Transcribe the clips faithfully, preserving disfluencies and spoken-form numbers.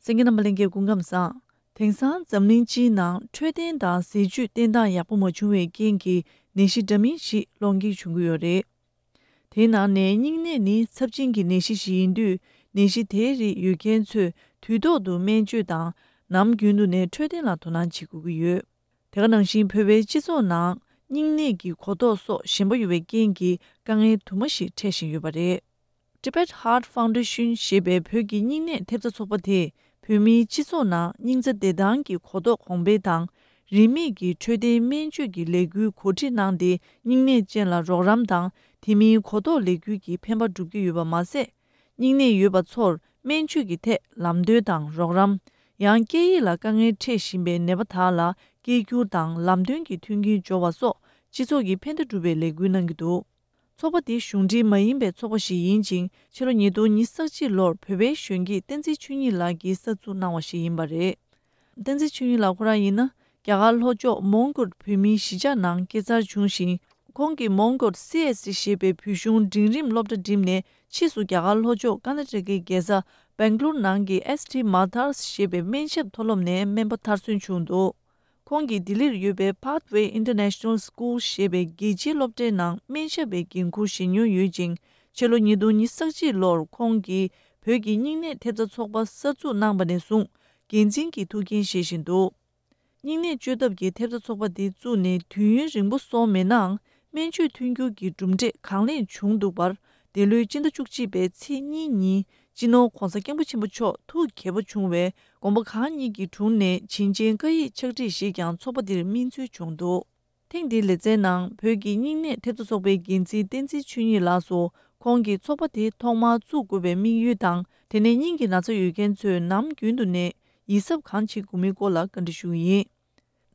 གསན་མཁན་རྣམ་པ་ལྷན་རྒྱས་སྐུ་ཁམས་བཟང་། དེང་སང་འཛམ་གླིང་སྤྱིའི་ནང་འཕྲོད་བསྟེན་དང་ཟས་བཅུད་བསྟེན་སྟངས་ཡག་པོ་མ་བྱུང་བའི་རྐྱེན་གྱིས་ནད་གཞི་འདྲ་མིན་ཞིག་སློང་གི་བྱུང་གི་ཡོད་རེད། དེའི་ནང་ནས་སྙིང་ནད་ནི་ཚབས་ཆེན་གྱི་ནད་གཞི་ཞིག་ཡིན་དུས། ནད་གཞི་དེའི་རིགས་ཡོད་མཁན་ཚོས་དུས་ཐོག་ཏུ་སྨན་བཅོས་དང་། ནམ་རྒྱུན་དུ་ནས་འཕྲོད་བསྟེན་ལ་དོ་སྣང་བྱེད་དགོས་ཀྱི་ཡོད། དེ་ག་ནང་བཞིན་བོད་པའི་སྤྱི་ཚོགས་ནང་སྙིང་ནད་ཀྱི་གོ་རྟོགས་སོགས་ཞན་པོ་ཡོད་པའི་རྐྱེན་གྱིས་དཀའ་ངལ་དུ་མ་ཞིག་འཕྲད་བཞིན་ཡོད་པ་རེད། Tibet Heart Foundation ཞེས་པའི་བོད་ཀྱི་སྙིང་ནད་ཐེབས་རྩ་ཚོགས་པ་དེས་བོད་མིའི་སྤྱི་ཚོགས་ནང་སྙིང་རྩ་བདེ་ཐང་གི་གོ་རྟོགས་གོང་འཕེལ་དང་། རིན་མེད་ཀྱི་འཕྲོད་བསྟེན་སྨན་བཅོས་ཀྱི་ལས་འགུལ་གོ་སྒྲིག་གནང་སྟེ། སྙིང་ནད་ཅན་ལ་རོགས་རམ་དང་། དེ་མིན་གོ་རྟོགས་ལས་འགུལ་གྱི་ཕན་པ་སྒྲུབ་ཀྱི་ཡོད་པ་མ་ཟད། སྙིང་ནད་ཡོད་པ་ཚོར་སྨན་བཅོས་ཀྱི་ཐད་ལམ་སྟོན་དང་རོགས་རམ། ཡང་སྐད་ཡིག་ལ་དཀའ་ངལ་འཕྲད་བཞིན་པའི་ནད་པ་དག་ལ་སྐད་སྒྱུར་དང་ལམ་སྟོན་གྱི་མཐུན་རྐྱེན་སྦྱོར་བ་སོགས་སྤྱི་ཚོགས་ཀྱི་ཕན་བདེ་སྒྲུབ་པའི་ལས་འགུལ་གནང་གི་འདུག། ཚོགས་པ་འདི་གཞུང་འབྲེལ་མ་ཡིན་པའི་ཚོགས་པ་ཞིག་ཡིན་ཅིང་། ཕྱི་ལོ་ཉིས་སྟོང་ཉི་ཤུ་རྩ་གཅིག་ལོར་བོད་པའི་གཞོན་སྐྱེས་བསྟན་འཛིན་ཆོས་ཉིད་ལགས་ཀྱིས་གསར་འཛུགས་གནང་བ་ཞིག་ཡིན་པ་རེད། བསྟན་འཛིན་ཆོས་ཉིད་ལགས་ཁོ་རང་ཡིན་ན། རྒྱ་གར་ལྷོ་ཕྱོགས་མོན་གྷོར་བོད་མིའི་གཞིས་ཆགས་ནང་སྐྱེས་འཚར་བྱུང་ཞིང་། ཁོང་གིས་མོན་གྷོར་སི་ཨེ་སི་ཞེས་པའི་བོད་གཞུང་འབྲིང་རིམ་སློབ་གྲྭ་འགྲིམས་ནས། ཕྱིས་སུ་རྒྱ་གར་ལྷོ་ཕྱོགས་ཀར་ནཱ་ཊ་ཀའི་རྒྱལ་ས་སྦེང་ལོར་ནང་གི་ཨེ་སི་ཊི་མ་ཐར་ཞེས་པའི་སྨན་ཞབས་མཐོ་སློབ་ནས་སྨན་པ་མཐར་སོན་བྱུང་འདུག། ཁོང་གིས་ལྡི་ལིར་ཡོད་པའི་Pathway International School ཞེས་པའི་རྒྱལ་སྤྱིའི་སློབ་གྲྭའི་ནང་སྨན་ཞབས་པའི་འགན་འཁུར་བཞེས་མྱོང་ཡོད་ཅིང་། ཕྱི་ལོ་ཉིས་སྟོང་ཉི་ཤུ་རྩ་གཅིག་ལོར་ཁོང་གིས་བོད་ཀྱི་སྙིང་ནད་ཐེབས་རྩ་ཚོགས་པ་གསར་འཛུགས་གནང་བ་ནས་བཟུང་འགན་འཛིན་གྱི་ཐུགས་འགན་བཞེས་བཞིན་འདུག། སྙིང་ནད་བཅོས་ཐབས་ཀྱི་ཐེབས་རྩ་ཚོགས་པ་འདི་བཙུགས་ནས་དུས་ཡུན་རིང་པོ་སོང་མེད་ནའང་། སྨན་བཅོས་མཐུན་འགྱུར་གྱི་གྲུབ་འབྲས་གང་ལེགས་བྱུང་འདུག་པར། འདི་ལོའི་སྤྱི་ཟླ་བཅུ་གཅིག་པའི་ཚེས་གཉིས་ཉིན་སྤྱི་ནོར་༧གོང་ས་༧སྐྱབས་མགོན་ཆེན་པོ་མཆོག་ཐུགས་དགྱེས་པོ་བྱུང་བའི་དགོངས་པ་གང་ཉིད་ཀྱི་དྲུང་ནས་བྱིན་ཅན་བཀའ་ཡིག་ཕྱག་བྲིས་ཤིག་ཀྱང་ཚོགས་པ་འདིར་སྨིན་སྩོལ་བྱུང་འདུག། ཐེངས་འདིའི་ལེ་ཚན་ནང་བོད་ཀྱི་སྙིང་ནད་ཐེབས་རྩ་ཚོགས་པའི་འགན་འཛིན་བསྟན་འཛིན་ཆོས་ཉིད་ལགས་སུ། ཁོང་གིས་ཚོགས་པ་དེ་ཐོག་མར་བཙུགས་དགོས་པའི་དམིགས་ཡུལ་དང་། དེ་ནས་སྙིང་གི་ན་ཚ་ཡོད་མཁན་ཚོས་ནམ་རྒྱུན་དུ་ནས་ཡིད་གཟབ་གང་བྱེད་དགོས་མིན་སྐོར་ལ་བཀའ་འདྲི་ཞུ་གི་ཡིན།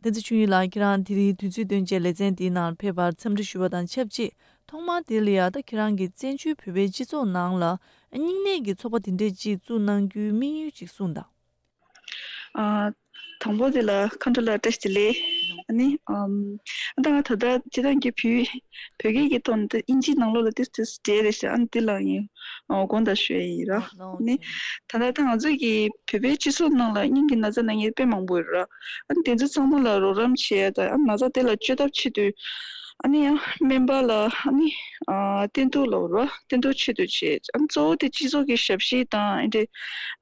བསྟན་འཛིན་ཆོས་ཉིད་ལགས། ཁྱེད་རང་དེ་རིང་དུས་ཚོད་བཏོན་བྱས་ལེ་ཚན་འདིའི་ནང་ཕེབས་པར་འཚམས་འདྲི་ཞུ་བ་དང་ཆབས་ཅིག། ཐོག་མར་དེ་ལ་ཡ་ད་ཁྱེད་རང་གིས་བཙན་བྱོལ་བོད་པའི་སྤྱི་ཚོགས་ནང་ལ་སྙིང་ནད་ཀྱི་ཚོགས་པ་དེ་འདྲས་ཅིག་བཙུགས་གནང་རྒྱུའི་དམིགས་ཡུལ་ཅིག་གསུངས་དང་། ཨ། དང་པོ་དེ་ལ་མཁའ་འགྲོ་ལ་བཀྲ་ཤིས་བདེ་ལེགས། ཨ་ནི། ཨམ། ད་ང་ད་ལྟ་སྤྱིར་བཏང་གི་བོད་བོད་སྐད་ཀྱི་ཐོག་ནས་ཨིན་ཇིའི་ནང་ལོགས་ལ་ཏིས་ཏིས་འབྲེལ་རེད་ཤག། ཨ་ནི་དེ་ལ་ཡིན། ཨོ། དགོངས་དག་ཞུ་ཡ་ཡིན་ར། ཨ་ནི། ད་ལྟ་ད་ང་ཚོ་གི་བོད་པའི་སྤྱི་ཚོགས་ནང་ལ་སྙིང་གི་ན་ཚ་ན་མཁན་དཔེ་མང་པོ་ཡོད་ར། ཨ་ནི་དེ་ཚོ་ཚང་མ་ལ་རོགས་རམ་བྱེད་ཡ་དང་། ཨ་ནི་ན་ཚ་དེ་ལ་བཅོས་ཐབས་ཆེད་དུ། ཨ་ནི་ཡང་སྨན་པ་ལ་ཨ་ནི་ཨ་བསྟེན་གཏུག་ལབ་ར། བསྟེན་གཏུག་ཆེད་དུ་བྱེད། ཨ་ནི་གཙོ་བོ་དེ་སྤྱི་ཚོགས་ཀྱི་ཞབས་ཕྱི་དང་ཨེ་འདྲས་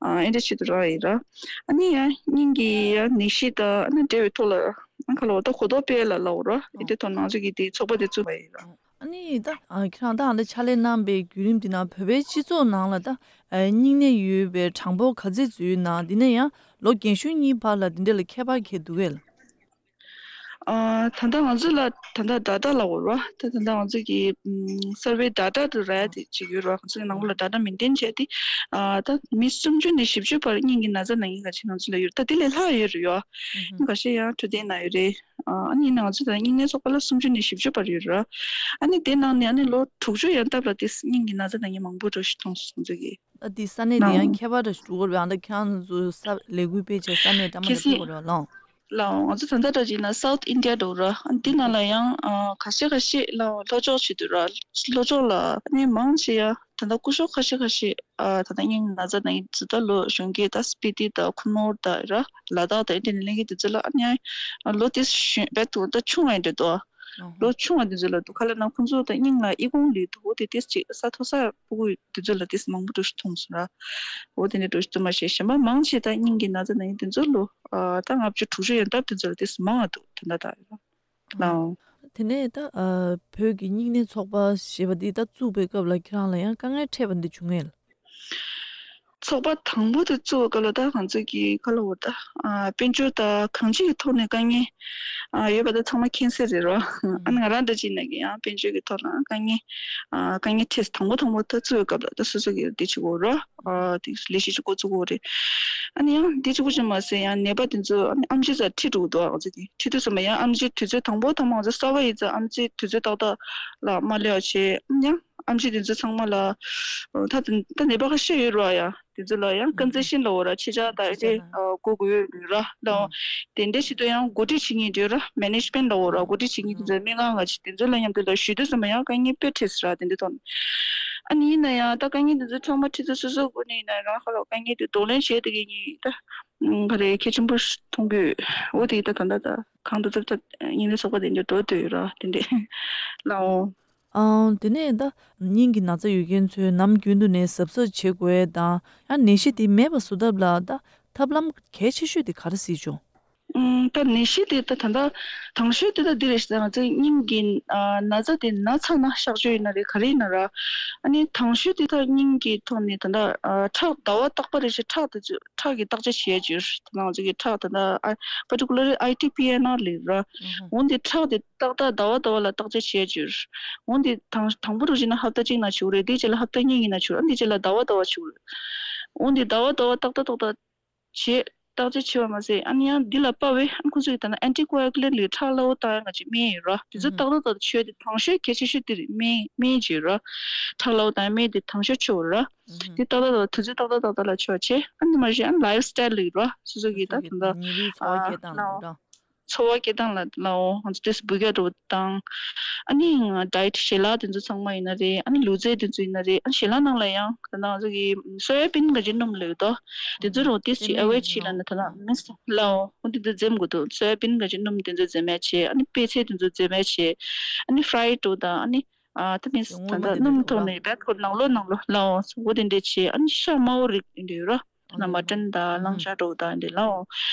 ཨ་ཨེ་འདྲས་ཆེད་དུ་རག་ཡིན་ར། ཨ་ནི་ཡང་སྙིང་གི་ཡང་ནད་གཞི་དང་ཨ་ནི་འབྲེལ་བའི་ཐོག་ལ་ཨ་ཁ་ལོ་ད་གོ་རྟོགས་སྤེལ་ལ་ལབ་ར། ཨེ་འདྲས་ཐོག་ནང་ཚོ་གི་དེ་ཚོགས་པ་དེ་བཙུགས་པ་ཡིན་ར། ཨ་ནི་ད་ཨ་ཁྱེད་རང་ད་ཨ་འདྲ་ཕྱག་ལས་གནང་པའི་བརྒྱུད་རིམ་དེ་ནང་བོད་པའི་སྤྱི་ཚོགས་ནང་ལ་ད་ཨ་སྙིང་ནད་ཡོད་པའི་གྲངས་འབོར་ག་ཚད་ཙམ་ཡོད་ན། དེ་ནས་ཡང་ལོ་རྒན་གཞོན་གཉིས་བར་ལ་དེ་འདྲ་ལ་ཁྱད་པར་གང་འདུག་གས། ཨ། ད་ལྟ་ང་ཚོ་ལ་ད་ལྟ་ཌ་ཊ་ལབ་དགོས་རེད་བ། ད་ད་ལྟ་ང་ཚོ་གི་ཨམ། སར་ཝེ་ཌ་ཊ་དུ་རག་ཡ་དེ་ཅིག་ཡོད་རེད་བ། ང་ཚོ་གི་ནང་ལོགས་ལ་ཌ་ཊ་མེན་ཊེན་བྱས་ཏེ། ཨ། ད་མི་སུམ་ཅུ་ནས་བཞི་བཅུ་བར་སྙིང་གི་ན་ཚ་ན་མཁན་ཁ་ཤས་ང་ཚོ་ལ་ཡོད་རེད། ད་དེ་ལས་ལྷག་ཡོད་རེད་ཡོ། ཨ། ཁ་ཤས་ཡང་འཕྲོད་བསྟེན་ན་ཡོད་རེད། ཨ། ཨ་ནི་ཡིན་ན་ང་ཚོ་ད་སྙིང་ནད་ཚོགས་པ་ལ་སུམ་ཅུ་ནས་བཞི་བཅུ་བར་ཡོད་རེད། ཨ་ནི་དེ་ནང་ནས་ཨ་ནི་ལོ་དྲུག་ཅུ་ཡན་འདབ་ལ་དེ་སྙིང་གི་ན་ཚ་ན་མཁན་མང་པོ་འགྲོ་ཞིག་མཐོང་སོང་ང་ཚོ་གི། ཨ། དེ་ས་གནས་དེ་ཡང་ཁྱད་པར་འདྲ་ཞིག་འགྲོ་གི་རེད་བ། ཨ། ད་ཁྱེད་རང་ཚོ་ས་ལས་འགུལ་སྤེལ་བྱས་ས་གནས་འདྲ་མི་འདྲ་ཕེབས་དགོས་རེད་བ་ལགས། ལགས། ང་ཚོ་ད་ལྟ་འདྲ་བྱས་ན་སའུཐ་ཨིན་ཌི་ཡ་འདྲ་བོ་ར། ཨ། འདི་ནང་ལ་ཡང་ཨ། ཁ་ཤས་ཁ་ཤས་ལ་ལྷོ་ཕྱོགས་བྱེད་དུས་ར། ལྷོ་ཕྱོགས་ལ་ཨ་ནི་མང་ཆེ་ཡ་ད་ལྟ་སྐུ་ཞབས་ཁ་ཤས་ཁ་ཤས་ཨ། ད་ལྟ་སྙིང་ན་ཚ་ན་མཁན་ཚོ་ད་ལོ་གཞོན་སྐྱེས་ད་སྤི་ཏི་དང་ཁུ་ནུར་དང་ར། ལ་དྭགས་དང་ཨེ་འདྲ་ནས་སླེབས་མཁན་དེ་ཚོ་ལ་ཨ་ནི་ཨ། ལོ་དེ་གཞོན་རྦད་དེ་ད་ཆུང་བ་འདྲ་འདུག། ཨ་ཧོ། ལོ་ཆུང་བ་དེ་ཚོ་ལ་དུས་ཁ་ལ་ན་ཁོང་ཚོ་ད་སྙིང་ལ་ཨི་ཁུང་ལི་དུ་བོ་དེ་ཏིས་ཅིག་ས་མཐོ་ས་ཕྲུ་གུ་དེ་ཚོ་ལ་ཏིས་མང་པོ་འགྲོ་ཞིག་མཐོང་སོང་ར། འོ་དེ་འདྲ་འགྲོ་ཞིག་འདུག་མ་ཤེས། གཞན་པ་མང་ཆེ་ད་སྙིང་གི་ན་ཚ་ན་མཁན་དེ་ཚོ་ལོ་ཨ། ད་ལྔ་བཅུ་དྲུག་ཅུ་ཡན་འདབ་དེ་ཚོ་ལ་ཏིས་མང་བ་འདུག་དེ་འདྲ་ད་ཡོད་ར། ལའོ། དེ་ནས་ད་ཨ། བོད་ཀྱི་སྙིང་ནད་ཚོགས་པ་ཞེས་པ་འདི་ད་བཙུགས་པའི་སྐབས་ལ་ཁྱེད་རང་ལ་ཡང་དཀའ་ངལ་འཕྲད་པ་འདི་བྱུང་ངེས། ཚོགས་པ་དང་པོ་དེ་བཙུགས་པའི་སྐབས་ལ་ད་ང་ཚོ་གི་ཁ་ལོ་བོ་ད་ཨ། དཔལ་འབྱོར་དང་གང་ཅིའི་ཐོག་ནས་དཀའ་ངལ་ཨ། ཡོད་པ་ད་ཚང་མ་མཁྱེན་གསལ་རེད་རོ། ཨ་ནི་ང་རང་འདྲ་ཅིག་ན་གི་ཡང་དཔལ་འབྱོར་གྱི་ཐོག་ལ་དཀའ་ངལ་ཨ། དཀའ་ངལ་འཕྲད། དང་པོ་དང་པོ་ད་བཙུགས་པའི་སྐབས་ལ་ད་སོ་སོ་གི་འདི་བྱེད་དགོས་རོ། ཨ། དེ་ལས་གཞི་ཅིག་འགོ་བཙུགས་དགོས་རེད། ཨ་ནི་ཡང་འདི་གཅིག་པུ་ཅིག་མ་ཟད་ཡང་ནད་པ་དེ་ཚོ་ཨ་ནི་ཨེམ་ཆི་ས་ཁྲིད་འགྲོ་གི་འདུག་ཨ་ཙི་དེ་ཁྲིད་དུས་ཙམ་པ་ཡང་ཨེམ་ཆི་དུས་ཚོད་དང་པོ་དང་པོ་ང་ཚོ་གསར་པ་ཡིན་ཙང་ཨེམ་ཆི་དུས་ཚོད་ཏག་ཏག་ལ་མ་སླེབས་པ་བྱས། ཨ་ནི་ཡང་ཨེམ་ཆི་དེ་ཚོ་ཚང་མ་ལ་ད་དེ་ད་ནད་པ་ཁ་ཤས་ཡོད་རེད་བ། ཡ་དེ་ཚོ་ལ་ཡང་ཀོན་སེ་ཤན་ལབ་དགོས་ར། ཕྱེད་ཀ་ད་ཨེ་འདྲས་ཨ། དགོས་དགོས་ཡོད་ར་ལ། དེ་འདྲས་བྱེད་དུས་ཡང་གོ་སྒྲིག་བྱེད་མཁན་འདྲ་ར། མེ་ནེཇ་མེན་ལབ་དགོས་ར། གོ་སྒྲིག་བྱེད་མཁན་དེ་ཚོ་སྨན་ཁང་ག་ཅིག་དེ་ཚོ་ལ་མཉམ་དུ་ལ་ཞུ་དུས་ཙམ་པ་ཡང་དཀའ་ངལ་དཔེ་འཕྲད་སོང་ར། དེ་འདྲས་ཐོག་ནས་ ཨ་ནི་ཡིན་ན་ཡང་ད་དཀའ་ངལ་འདི་ཚོ་ཚང་མ་ཁྲིད་ཚུལ་སོ་སོའི་སྒོ་ནས་ཡིན་ན་རང་ཧ་ལོ་དཀའ་ངལ་འདི་གདོང་ལེན་བྱས་དེ་གི་ངས་ད་ག་རེ་གལ་ཆེན་པོ་མཐོང་གི་འོ་དེ་ད་ད་ད་ད་གང་དུ་ཚབ་ཚབ་ཉིན་ལས་ཚོགས་པ་དེ་འདྲ་འགྲོ་འདོད་ཡོད་ར་དེ་འདྲ་ལའོ། ཨང་། དེ་ནས་ད་སྙིང་གི་ན་ཚ་ཡོད་མཁན་ཚོས་ནམ་རྒྱུན་དུ་ནས་གཟབ་གཟབ་བྱེད་དགོས་དང་ཡང་ནད་གཞི་དེ་མེད་པ་བཟོ་ཐབས་ལ་ད་ཐབས་ལམ་གལ་ཆེ་ཤོས་དེ་ག་རེ་སྲིད་བྱུང་། ཨུམ། ད་ནད་གཞི་དེ་ད་ད་ལྟ་དང་ཤོས་དེ་ད་འདི་རེད་ཟེར་ང་ཚོའི་སྙིང་གི་ཨ་ན་ཚ་དེ་ན་ཚ་ན་གཤག་བཅོས་ཡིན་ན་རེད་ག་རེ་ཡིན་ན་ར། ཨ་ནི་དང་ཤོས་དེ་ད་སྙིང་གི་ཐོག་ནས་ད་ལྟ་ཨ་ཁྲག་ཟླ་བ་རྟག་པ་རེ་བཞིན་ཁྲག་དེ་ཚོ་ཁྲག་གི་བརྟག་དཔྱད་བྱས་ཡོད་ད་ང་ཚོ་གི་ཁྲག་ད་ལྟ་ཨ་particularly ཨའི་ཊི་པི་ཨེན་ཨར་ལབ་ར། འོན་ཏེ་ཁྲག་དེ་ཏག་ཏག་ཟླ་བ་ཟླ་བ་ལ་བརྟག་དཔྱད་བྱས་ཡོད། འོན་ཏེ་དང་དང་པོ་རུ་བྱས་ན་ཧབ་ཏ་གཅིག་ན་བྱུག་རེད་དེ་རྗེས་ལ་ཧབ་ཏ་གཉིས་ཡིན་ན་བྱུག་རེད་ཨ་ནི་དེ་རྗེས་ལ་ཟླ་བ་ཟླ་བ་བྱུག་རེད། འོན་ཏེ་ཟླ་བ་ཟླ་བ་ཏག་ཏག་ཏག་ཏག་བྱས། བརྟག་དཔྱད་བྱས་པ་མ་ཟད་ཨ་ནི་ཡང་འདི་ལ་དཔའ་བའི་ཨ་ཁོ་ཚོས་ད་ནི་ཨན་ཊི་ཀོ་ཨ་གུ་ལན་ཊི་ལས་ཁྲག་སླ་བོ་བཏང་ཡ་ང་ཅིག་སྨན་ཡོད་ར། དེ་ཚོ་ཏག་ཏག་ཏག་ཏག་མཆོད་དེ་དང་ཤོས་གལ་ཆེ་ཤོས་དེ་རེད་སྨན་སྨན་བྱས་ར། ཁྲག་སླ་བོ་བཏང་ཡ་སྨན་དེ་དང་ཤོས་མཆོད་ར། དེ་ཏག་ཏག་ཏག་དུས་ཚོད་ཏག་ཏག་ཏག་ཏག་ལ་མཆོད་བྱས་ཨ་ནི་མ་གཞི་ཨ་ནི་ལའིབ་སི་ཊའིལ་ལ་ཡོད་ར་སོ་སོ་གི་ད་ད་ད་ཉིན་རེའི་འཚོ་བ་སྐྱེལ་སྟངས་ལ་ལའོ། འཚོ་བ་སྐྱེལ་སྟངས་ལ་ལའོ་ང་ཚོ་ཏོག་ཙམ་འབུད་རྒྱག་འགྲོ་བ་དང་། ཨ་ནི་ཌའེ་ཊི་ཞལ་ལག་དེ་ཚོ་ཚང་མ་ཡིན་ན་རེད་ཨ་ནི་ལུས་རྩལ་དེ་ཚོ་ཡིན་ན་རེད་ཨ་ནི་ཞལ་ལག་ནང་ལ་ཡང་ད་ང་ཚོ་གི་སོ་ཡ་བིན་ག་ཅིག་སྣུམ་ལབ་ཡོད་དོ། དེ་ཚོ་རུ་ཏོག་ཙམ་ཨ་ཝོ་ཌི་བྱས་ལབ་ན་ད་ལ་མིན་ལའོ་འོ་དེ་ཚོ་འཛེམ་དགོས་འདུག་སོ་ཡ་བིན་ག་ཅིག་སྣུམ་དེ་ཚོ་འཛེམ་ཡ་བྱས་ཨ་ནི་པད་ཚལ་དེ་ཚོ་འཛེམ་ཡ་བྱས་ཨ་ནི་ཕ་རའེ་ཌི་འགྲོ་དང་ཨ་ནི་ཨ་ད་མིན་ད་ལྟ་སྣུམ་ཐོག་ནས་བད་ཁོ་ནང་ལོགས་ནང་ལོགས་ལའོ་འོ་དེ་འདྲས་བྱས་ཨ་ནི་ཤ་དམར་པོ་རིགས་དེ་འདྲས་ཡོད་ར། ན་མ་ཏྲན་ད་ལང་ཤ་འགྲོ་ད་འདི་ལའོ།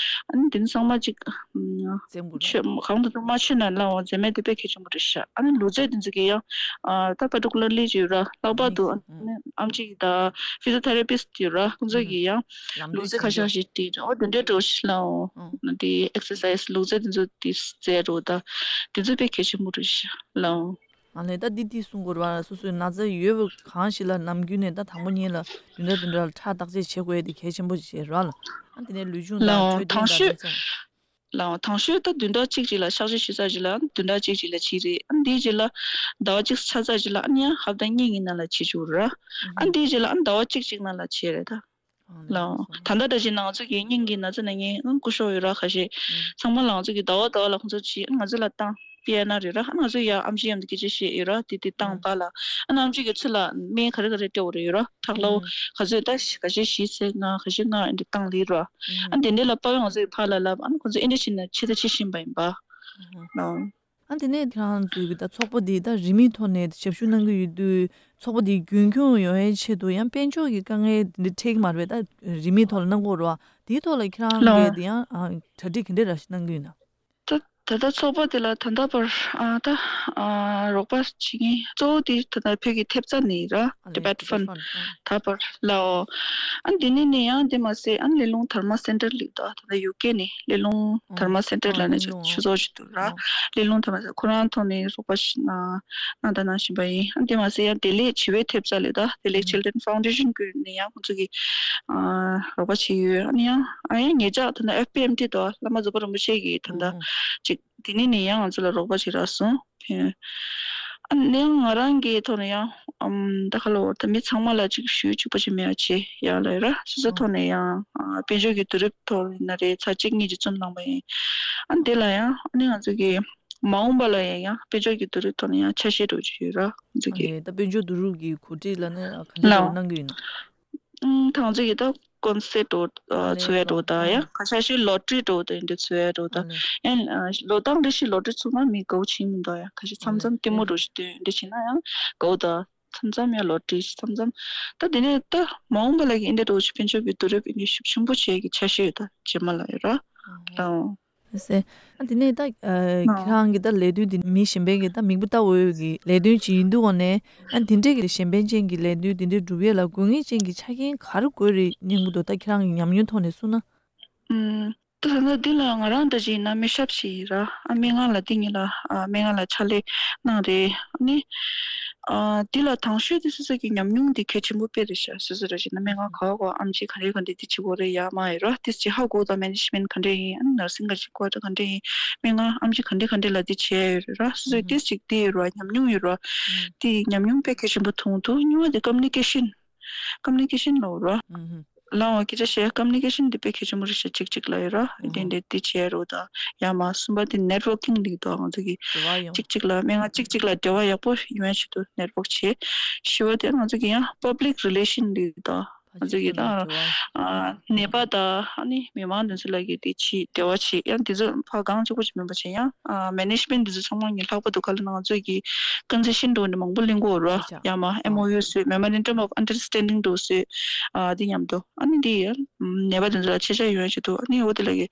ཨ་ནི་དེ་ཚང་མ་ཅིག་ཙེམ་གུ་ཆོས་གང་དུ་དུ་མ་ཆོས་ན་ལའོ་འཛེམ་མེད་དེ་དཔེ་གལ་ཆེན་པོ་རེད་ཤག་ཨ་ནི་ལུས་རྩལ་དེ་ཚོ་གི་ཡང་ད་པར་ཊི་ཀུ་ལར་ལི་ཅིག་ཡོད་ར་ལྷག་པར་དུ་ཨམ་ཆི་གི་ད་ཕི་ཛི་ཡོ་ཐེ་ར་པིས་ཡོད་ར་ཁོང་ཚོ་གི་ཡང་ལུས་རྩལ་ཁ་ཤས་ཤིག་དེ་འོ་དེ་འདྲའི་འགྲོ་ཤི་ལའོ། དེ་ཨེག་སར་སའི་ཛི་ལུས་རྩལ་དེ་ཚོ་དེ་རྩལ་འགྲོ་ད་དེ་ཚོ་དཔེ་གལ་ཆེན་པོ་རེད་ཤག་ལའོ། ཨ་ལས་ད་འདི་འདི་གསུང་དགོས་རེད་བ། སོ་སོའི་ན་ཚ་ཡོད་པ་གང་ཞིག་ལ་ནམ་རྒྱུན་ནས་ད་དང་པོ་ཉིད་ལ་བདུན་ཕྲག་བདུན་ཕྲག་ལ་ཁྲག་བརྟག་དཔྱད་བྱེད་དགོས་ཡ་དེ་གལ་ཆེན་པོ་ཞིག་རེད་བ་ལ། ཨ་དེ་ནས་ལུས་སྦྱོང་དང་ལའོ་འཕྲོད་བསྟེན་དང་དེ་ཚོ། ལའོ་དང་ཤོས་ད་བདུན་ཕྲག་གཅིག་ཅིག་ལ་གཤག་བཅོས་ཞུས་ཚར་རྗེས་ལ་ཨ་བདུན་ཕྲག་གཅིག་ཅིག་ལ་བྱས་རེད། ཨ་འདིའི་རྗེས་ལ་ཟླ་བ་གཅིག་ཚར་ཚར་རྗེས་ལ་ཨ་ནི་ཡང་ཧབ་ཏ་གཉིས་ཀྱི་ནང་ལ་བྱེད་ཆོག་རེད། ཨ་འདིའི་རྗེས་ལ་ཨ་ཟླ་བ་གཅིག་ཅིག་ནང་ལ་བྱེད་རེད་ད། ལའོ། ད་ལྟ་འདྲ་ཞིག་ང་ཚོ་གི་སྙིང་གི་ན་ཚ་ན་ངའི་སྐུ་ཞབས་ཡོད་ར་ཁ་ཤས། ཚང་མ་ལ་ང་ཚོ་གི་ཟླ་བ་ཟླ་བ་ལ་ཁོང་ཚོ་ཅིག་ང་ཚོ་ལ་བཏང་པི་ཨེན་ཨར་རེད་ར་ང་ཚོ་ཡ་ཨམ་ཆི་མཉམ་དུ་སྐད་ཆ་བཤད་ཡོད་ར་དེ་དེ་བཏང་པ་ལ་ཨ་ན་ཨམ་ཆི་གི་ཚུར་ལ་སྨན་ག་རེ་ག་རེ་སྤྲད་འོ་རེད་ཡོད་ར་ཁྲག་ལའོ་ག་ཚོད་ད་ག་ཤས་བཞི་ཚེ་ལྔ་ག་ཤས་ལྔ་ཨེ་འདྲ་བཏང་ལེ་ར་ཨ་དེ་འདྲ་ལ་དཔའ་བོ་ང་ཚོ་གི་ཕར་ལ་ལབ་ཨ་ན་ཁོང་ཚོ་ཨེ་འདྲ་བྱས་ན་ཆེ་ད་ཆེ་བཞིན་པ་ཡིན་པ་ལའོ། ཨ་དེ་ནས་ཁྱེད་རང་ཚོའི་གི་ད་ཚོགས་པ་འདི་ད་རིན་མེད་ཐོག་ནས་ཞབས་ཞུ་གནང་གི་ཡོད་དུས་ཚོགས་པ་འདི་རྒྱུན་འཁྱོངས་ཡོང་ཡའི་ཆེད་དུ་ཡང་དཔལ་འབྱོར་གྱི་དཀའ་ངལ་འདི་འདྲ་འཕྲད་ཀྱི་མ་རེད་པས། ད་རིན་མེད་ཐོག་ལ་གནང་དགོས་རེད་བ། དེའི་ཐོག་ལ་ཁྱེད་རང་ལའོ་གིས་དེ་ཡང་ཨ་གྲ་སྒྲིག་ག་འདྲ་ར་ཞིག་གནང་གི་ཡོད་ན། ད་ད་ལྟ་ཚོགས་པ་དེ་ལ་ད་ལྟ་བར་ཨ་ད་ཨ་རོགས་པ་བྱེད་མཁན་གཙོ་བོ་དེ་ད་ལྟ་བོད་ཀྱི་ཐེབས་རྩ་ནས་ར་ཨ་ནི་Tibet Tibet Fund Fund ཨ། ད་བར་ལའོ། ཨ་འདི་ནས་ནས་ཡང་འདི་མ་ཟད་ཨ་ལས་རླུང་དར་མ་སེན་ཊར་ལིག་ད་ད་ལྟ་ཡུ་ཀེ་ནས་ལས་རླུང་དར་མ་སེན་ཊར་ལ་ནས་ཆུ་ཚོགས་ཅིག་འདུག་ར། ལས་རླུང་དར་མ་སེན་ཊར་ཁོ་རང་ཐོག་ནས་རོགས་པ་ཞིག་གནང་གནང་དང་གནང་བཞིན་པ་ཡིན། ཨ་འདི་མ་ཟད་ཡང་བདེ་ལེགས་བྱིས་པའི་ཐེབས་རྩ་ལས་ད་བདེ་ལེགས་Children Foundation བརྒྱུད་ནས་ཡང་ཁོང་ཚོ་གིས་ཨ་རོགས་པ་བྱས་ཡོད། ཨ་ནི་ཡང་ཨ་ཡང་ཉེ་ཆར་ད་ལྟ་ཨེཕ་པི་ཨེམ་ཊི་དང་བླ་མ་རྫོགས་པ་རིན་པོ་ཆེ་གིས་ད་ལྟ་ཅིག་དེ་ནས་ནས་ཡང་ང་ཚོ་ལ་རོགས་པ་བྱེད་རག་སོང་། ཨ་ནི་ཡང་ང་རང་གི་ཐོག་ནས་ཡང་ཨམ་ད་ག་ལ་འོ་ད་མི་ཚང་མ་ལ་ཅིག་ཞུ་གཅིག་པ་ཅིག་མེད་པ་བྱས་ཡག་ལ་ཡོད་ར། སོ་སོ་ཐོག་ནས་ཡང་ཨ་དཔལ་འབྱོར་གྱི་བསྡུ་རུབ་ཐོག་ཡིན་ན་རེད་ཚར་གཅིག་གཉིས་ཅིག་བཙུམ་བླངས་པ་ཡིན། ཨ་ནི་དེ་ལ་ཡང་ཨ་ནི་ང་ཚོ་གི་མ་འོངས་པ་ལ་ཡང་ཡང་དཔལ་འབྱོར་གྱི་བསྡུ་རུབ་ཐོག་ནས་ཡང་ཆ་ཤས་འགྲོ་གི་ཡོད་ར་ང་ཚོ་གི། ཨ་ནི་ད་དཔལ་འབྱོར་བསྡུ་རུབ་ཀྱི་གོ་སྒྲིག་ལ་ནི་ག་འདྲ་ལའོ་འདྲ་གནང་གི་ཡོད་ན། ཨུམ་ད་ང་ཚོ་གི་ད་ཀོན་སེཊ་འགྲོ་ཨ་ཚུགས་ཡ་འགྲོ་ད་ཡ་ཁ་ཤས་ཤིག་ལོ་ཊ་རི་འགྲོ་ད་འདི་འདྲ་ཚུགས་ཡ་འགྲོ་ད་ཡང་ལོ་ཏང་རེ་ཞིག་ལོ་ཊ་རི་ཚུགས་ན་མི་དགའ་བོ་ཕྱིན་མི་འདུག་ཡ་ཁ་ཤས་མཚམས་མཚམས་ལྟད་མོ་འགྲོ་ཞིག་སྟོན་འདི་བྱས་ན་ཡང་དགའ་བོ་ད་མཚམས་མཚམས་ཡང་ལོ་ཊ་རི་མཚམས་མཚམས་ད་དེ་ནས་ད་མ་འོངས་པ་ལ་གི་འདི་འདྲ་འགྲོ་ཞིག་དཔལ་འབྱོར་གྱི་བསྡུ་རུབ་འདི་ཤུགས་ཆེན་པོ་བྱེད་ཀྱི་ཆ་ཤས་ཡོད་ད་རྗེས་མ་ལ་ཡོད་ར་ད། ཟེར། ཨ་དེ་ནས་ད་ཨ་ཁྱེད་རང་གི་ད་ལས་དོན་དེ་མི་གཞན་པའི་གི་ད་མིག་དཔེ་ལྟ་འོས་ཀྱི་ལས་དོན་ཅིག་ཡིན་དུས་འོ་ནས་ཨ་དེ་འདྲས་ཀྱི་གཞན་ཕན་ཅན་གྱི་ལས་དོན་དེ་འདྲས་སྒྲུབ་ཡས་ལ་དགོས་ངེས་ཅན་གྱི་ཆ་རྐྱེན་ག་རེ་དགོས་རེད་སྙམ་གྱི་འདུག་ད་ཁྱེད་རང་གི་ཉམས་མྱོང་ཐོག་ནས་གསུངས་ན། ཨུམ། ད་ད་ལྟ་འདི་ལ་ང་རང་ད་ཅིག་ཡིན་ན་མི་ཞབས་ཤིག་ཡིན་ར་ཨ་སྨན་ཁང་ལ་འདི་གཉིས་ལ་ཨ་སྨན་ཁང་ལ་ཕྱག་ལས་གནང་རེད་ཨ་ནི། ཨ་འདི་ལ་དང་ཤོས་དེ་སོ་སོ་གི་ཉམས་མྱོང་འདི་གལ་ཆེན་པོ་དཔེ་རེད་ཤག་སོ་སོ་ར་ཅིག་ན་སྨན་ཁང་ག་བ་ག་བ་ཨམ་ཆི་ག་རེ་ག་འདྲ་འདི་བྱེད་དགོས་རེད་ཡ་མ་ཡིན་ར་དེ་ཅིག་ཧ་གོ་ད་མེ་ནེ་ཇི་མེན་ག་འདྲ་ཡིན་ཨ་ནི་ནར་སིང་ག་ཅིག་གོ་ད་ག་འདྲ་ཡིན་སྨན་ཁང་ཨམ་ཆི་ག་འདྲ་ག་འདྲ་ལ་འདི་བྱས་ཡོད་རེད་ར་སོ་སོ་དེ་ཅིག་འདི་ཡོད་ར་ཉམས་མྱོང་ཡོད་ར་དེ་ཉམས་མྱོང་དཔེ་གལ་ཆེན་པོ་མཐོང་འདུག་གཉིས་པ་དེ་ཀམ་ནི་ཀེ་ཤན་ཀམ་ནི་ཀེ་ཤན་ལ་འོ་ར། ལའང་སྐད་ཆ་བཤད། ཀམ་ནི་ཀེ་ཤན་འདི་དཔེ་གལ་ཆེན་པོ་རེད་ཤག་གཅིག་གཅིག་ལ་ཡོད་ར། དེ་འདྲ་འདི་བྱེད་ཡ་རོ་དང་། ཡང་མ་གསུམ་པ་དེ་ནེཊ་ཝར་ཀིང་འདི་དང་། ང་ཚོ་གི་འབྲེལ་བ་ཡོང་། གཅིག་གཅིག་ལ་སྨན་ཁང་གཅིག་གཅིག་ལ་འབྲེལ་བ་ཡག་པོ་ཡོང་ཡ་ཆེད་དུ་ནེཊ་ཝར་ཀི་བྱེད། བཞི་པ་དེ་ང་ཚོ་གི་ཡང་པབ་ལིག་རི་ལེ་ཤན་འདི་དང་། ང་ཚོ་གི་ད་ཨ་ནད་པ་དང་ཨ་ནི་མི་མང་དེ་ཚོ་ལ་གི་དེ་ཆེད་འབྲེལ་བ་བྱེད། ཡང་དེ་ཚོ་ཕར་གང་གཅིག་པོ་ཅིག་མིན་པ་བྱེད། ཡང་ཨ་མེ་ནེཇ་མེན་ཊི་དེ་ཚོ་ཚང་མ་ངས་ལྷག་པར་དུ་ག་ལ་ན་ང་ཚོ་གི་ཀོན་སེ་ཤན་འདྲ་བོ་འདྲ་མང་པོ་ལེན་གོ་ར། ཡང་མ་ཨེམ་ཨོ་ཡུ་བཟོས། Memorandum of Understanding འདྲ་བོ་བཟོས། ཨ་དེ་མཉམ་དུ་ཨ་ནི་དེ་ཡང་ནད་པ་དེ་ཚོ་ལ་ཤེས་བྱ་ཡོང་ཡ་ཆེད་དུ། ཨ་ནི་འོ་དེ་ལ་གི་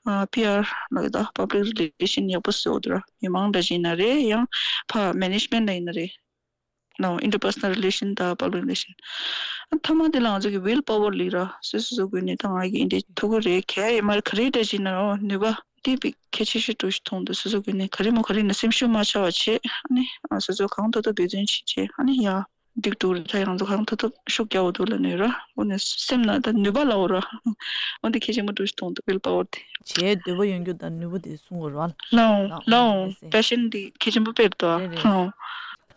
ཨ་པི་ཨར་ལ་གི་ད་པབ་ལིག་རི་ལེ་ཤན་ཡག་པོ་བཟོས་འོ་དེ་ར། མི་མང་འདྲ་ཅིག་ཡིན་ན་རེད། ཡང་ཕར་མེ་ནེཇ་མེན་ཊི་ལ་ཡིན་ན་རེད། ནོ། Interpersonal relation དང་པབ་ལིག་རི་ལེ་ཤན། ཨ་མཐའ་མ་དེ་ལ་ང་ཚོ་གི་ཝིལ་པ་ཝར་ལབ་ར། སོ་སོ་སོ་སྒོས་ནས་ད་ང་གི་འདི་ཐུག་གི་རེད། ག་ཡ་ཡིན་མ་རེད། ག་རེ་འདྲ་ཅིག་ཡིན་ན་ར་ནུས་པ་དེ་དཔེ་གལ་ཆེ་ཤོས་འདྲ་ཞིག་མཐོང་འདུག་སོ་སོ་སྒོས་ནས་ག་རེ་མོ་ག་རེ་ཡིན་ན་སེམས་ཤུགས་མ་ཆག་པ་བྱེད། ཨ་ནི་ཨ་སོ་སོ་གང་ཐུབ་ཐུབ་འབད་བརྩོན་བྱེད་བྱེད། ཨ་ནི་ཡ་འགྲིག་འགྲོ་རེད། ད་ང་ཚོ་གང་ཐུབ་ཐུབ་ཤུགས་རྒྱག་འོ་འདུག་ལབ་ནས་ར། འོ་ནས་སེམས་ནང་ད་ནུས་པ་ལབ་འོ་ར། འོ་འདི་གལ་ཆེན་པོ་འདྲ་ཞིག་མཐོང་འདུག་ཝིལ་པ་ཝར་དེ། བྱེད་འདོད་པ་ཡོད་རྒྱུ་དང་ནུས་པ་དེ་གསུང་དགོས་ར། ལའོ་ལའོ། པེ་ཤན་དེ་གལ་ཆེན་པོ་དཔེ་རེད་དོ། རེད་རེད། ལའོ།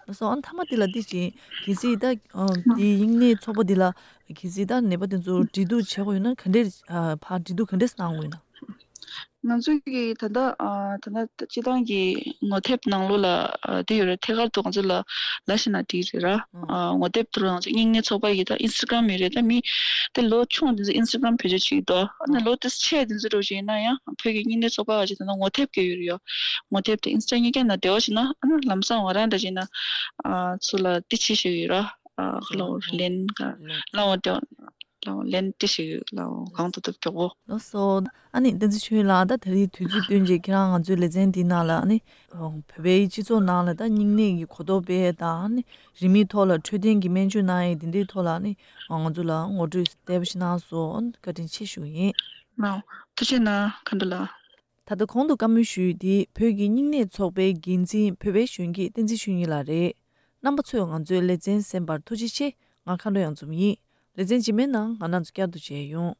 ལགས་སོ། ཨ་མཐའ་མ་འདི་ལ་འདི་བྱེད། གལ་སྲིད་ད་ཨ་འདི་དབྱིངས་ནད་ཚོགས་པ་འདི་ལ་གལ་སྲིད་ད་ནད་པ་དེ་ཚོ་འབྲེལ་གཏུག་བྱེད་དགོས་ཡོད་ན་ག་འདྲས་ཨ་ཕར་འབྲེལ་གཏུག་ག་འདྲས་གནང་དགོས་ཡོད་ན། ང་ཚོ་གི་ད་ལྟ་ཨ་ད་ལྟ་སྤྱི་བཏང་གི་ངོ་དེབ་ནང་ལོགས་ལ་ཨ་དེ་ཡོད་རེད། ཐད་ཀར་དུ་ང་ཚོ་ལ་ལབ་ཤེས་ན་འགྲིག་རེད་ར། ཨ་ངོ་དེབ་དུ་ང་ཚོ་དབྱིངས་ནད་ཚོགས་པ་གི་ད་ཨིན་སི་ཊ་གྷ་རམ་ཡོད་རེད། ད་མི་དེ་ལོ་ཆུང་དེ་ཚོ་ཨིན་སི་ཊ་གྷ་རམ་བེད་སྤྱོད་བྱེད་ཀྱི་འདུག་ཨ་ནི་ལོ་དེ་ཆེ་དེ་ཚོ་འདྲ་བོ་ཅིག་ཡིན་ན་ཡང་བོད་ཀྱི་དབྱིངས་ནད་ཚོགས་པ་ག་ཅིག་ད་ལྟ་ངོ་དེབ་གི་ཡོད་རེད་ཡོ། ངོ་དེབ་དེ་ཨིན་སི་ཊ་གཉིས་ཀ་ནང་འབྲེལ་བ་བྱེད་ན། ཨ་ནི་ལམ་སང་ང་རང་འདྲ་བྱས་ན་ཨ་ཚུར་ལ་དེ་བྱེད་ཤེས་ཀྱི་ཡོད་ར། ཨ་ཁ་ལོ་ལེན་ག་ལོ་ལའོ་དེ་ལའོ་ལེན་དེ་བྱེད་ཀྱི་ཡོད། ལའོ་གང་ཐུབ་ཐུབ་མགྱོགས་པོ། ལགས་སོ། ཨ་ནི་བསྟན་འཛིན་ཆོས་ལགས། ད་ད་རེས་དུས་ཚོད་བཏོན་རྗེས་ཁྱེད་རང་ང་ཚོའི་ལེ་ཚན་འདི་ནང་ལ་ཨ་ནི་བོད་པའི་སྤྱི་ཚོགས་ནང་ལ་ད་སྙིང་ནད་ཀྱི་གོ་རྟོགས་སྤེལ་ཡས་དང་། ཨ་ནི་རིན་མེད་ཐོག་ལ་འཕྲོད་བསྟེན་གྱི་སྨན་བཅོས་གནང་ཡས་དེ་འདྲའི་ཐོག་ལ་ཨ་ནི་ང་ཚོ་ལ་ངོ་སྤྲོད་བདེ་པོ་ཞིག་གནང་སོང་། བཀའ་དྲིན་ཆེ་ཞུ་ཡིན། ལའོ་ཐུགས་རྗེ་གནང་། མཁའ་འགྲོ་ལགས། ད་ལྟ་གོང་དུ་བཀའ་མོལ་ཞུས་ཡོད་འདི་བོད་ཀྱི་སྙིང་ནད་ཚོགས་པའི་འགན་འཛིན་བོད་པའི་གཞོན་སྐྱེས་བསྟན་འཛིན་ཆོས་ཉིད་ལགས་རེད། རྣམ་པ་ཚོས་ང་ཚོའི་ལེ་ཚན་གསན་པར་ཐུགས་རྗེ་ཆེ། ང་མཁའ་འགྲོ་གཡང་འཛོམས་ཡིན། ལེ་ཚན་རྗེས་མའི་ནང་ང་རང་ཚོ་བསྐྱར་དུ་མཇལ་ཡོང་།